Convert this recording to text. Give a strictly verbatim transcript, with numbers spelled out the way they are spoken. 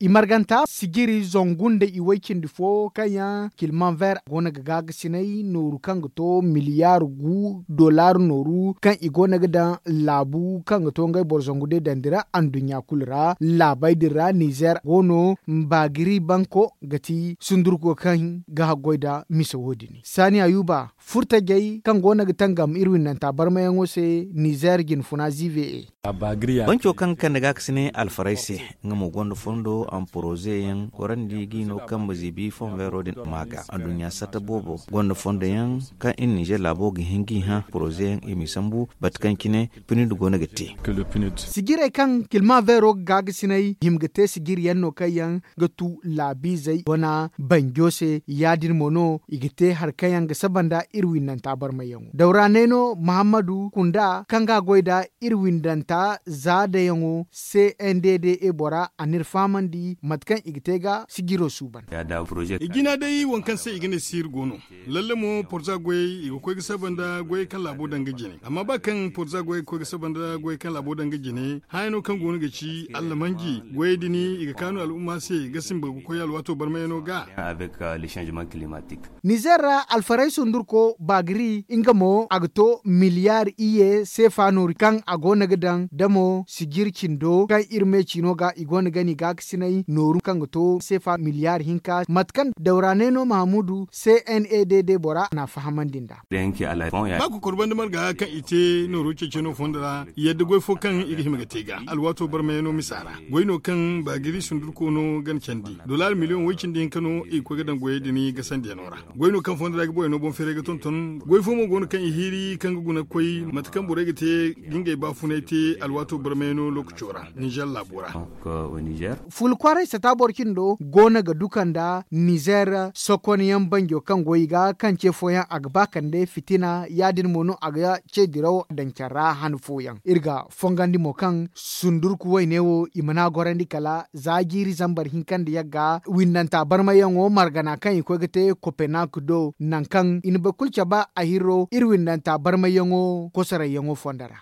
I marganta sijiri zangu nda i way cindi fo kaŋ yaŋ kilmanver go no ga gaagasinay nooru kaŋ ga to miliyaar gu dollar nooru kaŋ i go no ga daŋ laabu kaŋ ga to ngey boro zangu day daŋ dira anduɲɲa kulu ra laabey din ra nizer go no. Mbaagiri banko ga ti sundurko kaŋ ga haggoy nda mise wo- din saani ayuba furtajey kaŋ go no ga tangam iri windanta barmayaŋo se nizer jinfuna zive e. Banco kaŋ ga kande gaakasinay alfaray se, nga mo gonda fondo a ma poroze yaŋ gorandi ga i no kaŋ ma ziibi fonveero din ma ga anduɲɲa satta boobo gonda fondo yaŋ kaŋ iri nizer laabo ga hin ga i hã poroze yaŋ i m'i sambu bate kaŋ cine pinid go no ga te. Sijirey kaŋ kilma veero ga gaagasinay hima ga te sijiri yaŋ no kaŋ yaŋ ga tu laabiizey wana banjo se ya- din mo no i ga te hari kaŋ yaŋ ga saba nda iri windanta barmayyaŋo dawra neeno muhammadu kunda kaŋ ga a goy nda iri windanta za dayaŋo c n d d e bora a n'iri fahamandi mate kaŋ i ga te ga sijiro suuban. I jina day waŋ kaŋ se i ga ne siiri go no. Lalle mo porza goyey i ga koy ga saba nda goyey kaŋ laabo daŋ ga jine amma ba kaŋ porza goyey ga koy ga saba nda goyey kaŋ laabo daŋ ga jine haya no kaŋ go no ga ci allamanji goyey din i ga kaanu al'umma se ga simba ga koy alwaato barmayano ga. Nizer ra alfaray sundurko bagri nga mo a ga to miliyaari iyye seefa nooru kaŋ a go no ga daŋ damo sijir cindo kaŋ iri me ciino ga i go no ga ni gaakasinay nooru kaŋ ga to seefa miliyaari hinka mate kaŋ dawra neeno mahamudu c n e d d bora n'a fahamandi nd'a. Ba kokor banda marga kaŋ i te nooro ceeci no fondo ra yadda goy fo kaŋ i ga hima ga te ga alwaato barmayano misa ra goy no kaŋ bagiri sundurko no ga ni candi dolaari miliyoŋ way cindi hinka no i ga koy ga daŋ goyey din gasandiyano ra. Goy no kaŋ fondo ra ga borey no boŋ feeray ga tonton goy fo mo go no kaŋ i hiiri kaŋ ga guna ga koy mate kaŋ borey ga te ga ngey baafunay te alwaato barmayano lookaco ra ninzeer laabo ra. Fulkwaaray sata boro cindo go no ga duka nda nizeer sokonyaŋ banjo kaŋ go i ga kaŋ ce fooyaŋ a ga ba kande fitina ya- din mo no a ga ce diraw daŋ care ra han fooyaŋ iri ga fongandi mo kaŋ sundurku wayne wo i mana gorandi kala za jiiri zambar hinka nda yagga windanta barmayyaŋo margana kaŋ i koy ga te kopenak do nangu kaŋ i na boro kulu cabe a hirro iri windanta barmayyaŋo kosorayyaŋo fondo ra.